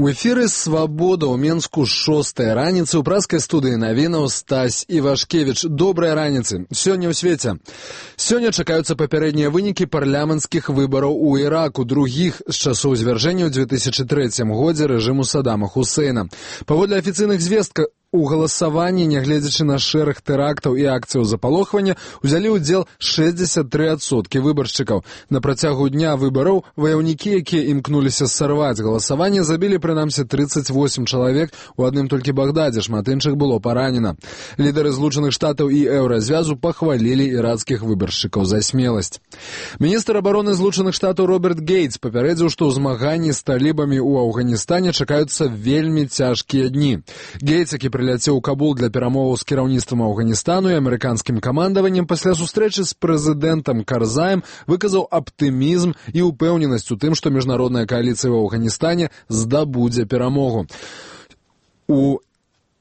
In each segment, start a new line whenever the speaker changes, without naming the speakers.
У эфіры «Свабода» ў Менску 6-я раніцы ў праскай студыі навінаў Стась Івашкевіч. Добрай раніцы. Сёння ў свеце. Сёння чакаюцца папярэднія вынікі парламенцкіх выбараў у Іраку, другіх з часоў звяржэння ў 2003 годзе рэжыму Саддама Хусейна. Паводле афіцыйных звесткаў, у галасаванні, нягледзячы на шэраг тэрактаў і акцыяў запалохвання, узялі ўдзел 63% выбаршчыкаў. На працягу дня выбараў ваяўнікі, якія імкнуліся сарваць галасаванне, забілі прынамсі 38 чалавек, у адным толькі Багдадзе, шмат іншых было паранена. Лідары Злучаных Штатаў і Еўразвязу пахвалілі ірацкіх выбаршчыкаў за смеласць. Міністр абароны Злучаных Штатаў Роберт Гейтс папярэдзіў, што ў змаганні з талібамі ў Афганістане чакаюцца вельмі цяжкія дні. Гейтс, які прыляцеў у Кабул для перамоваў з кіраўніцтвам Афганістану і амерыканскім камандаваннем, пасля сустрэчы з прэзідэнтам Карзаем выказаў аптымізм і ўпэўненасць у тым, што міжнародная кааліцыя ў Афганістане здабудзе перамогу. У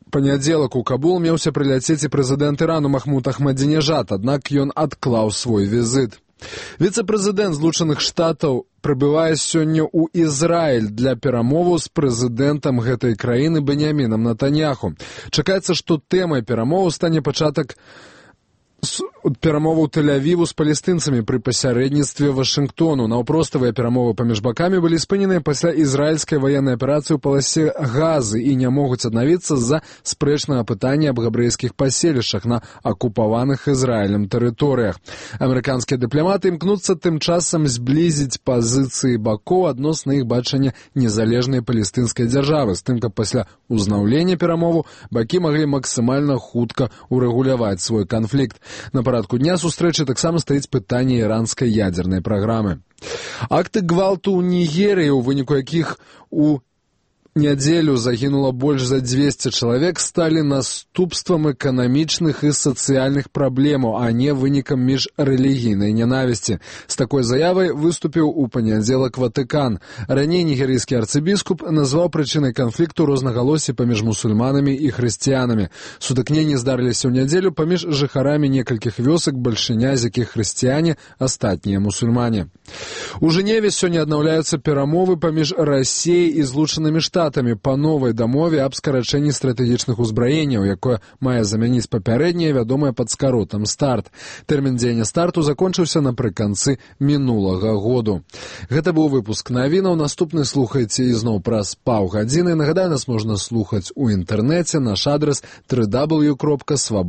панядзелак у Кабул меўся прыляцець і прэзідэнт Ірану Махмуд Ахмадзінежад, аднак ён адклаў свой візіт. Віцэ-прэзідэнт Злучаных Штатаў прыбывае сёння ў Ізраіль для перамоваў з прэзідэнтам гэтай краіны Беньямінам Нетаньяху. Чакаецца, што тэмай перамоваў стане пачатак перамоваў Тель-Авіву з палестынцамі пры пасярэдніцтве Вашынгтону. Наўпроставыя перамовы паміж бакамі былі спыненыя пасля ізраільскай ваеннай аперацыі ў паласе Газы і не могуць аднавіцца з-за спрэчнага пытання аб габрэйскіх паселішчах на акупаваных Ізраілем тэрыторыях. Амерыканскія дыпламаты імкнуцца тым часам зблізіць пазіцыі бакоў адносна іх бачання незалежнай палестынскай дзяржавы, з тым, каб пасля ўзнаўлення перамоваў бакі маглі максімальна хутка урэгуляваць свой канфлікт. На парадку дня сустрэчы таксама стаіць пытанне іранскай ядзернай праграмы. Акты гвалту ў Нігерыі, у выніку якіх у нядзелю загінула больш за 200 чалавек, сталі наступствам эканамічных і сацыяльных праблемаў, а не вынікам міжрэлігійнай нянавісці. З такой заявай выступіў у панядзелак Ватыкан. Раней нігерыйскі арцыбіскуп назваў прычынай канфлікту рознагалоссі паміж мусульманамі і хрысціянамі. Сутыкненні здарыліся ў нядзелю паміж жыхарамі некалькіх вёсак, бальшыня з якіх хрысціяне, астатнія мусульмане. У Жэневе сёння аднаўляюцца перамовы паміж Расіяй і Злучанымі Штатамі па новай дамове аб скарачэнні стратэгічных узбраенняў, якое мае замяніць папярэдняе, вядомае пад скаротам «Старт». Тэрмін дзеяння «Старту» закончыўся напрыканцы мінулага году. Гэта быў выпуск навінаў. Наступны слухайце ізноў праз паўгадзіны. Нагадаю, нас можна слухаць у інтэрнэце. Наш адрас www.swabod.org.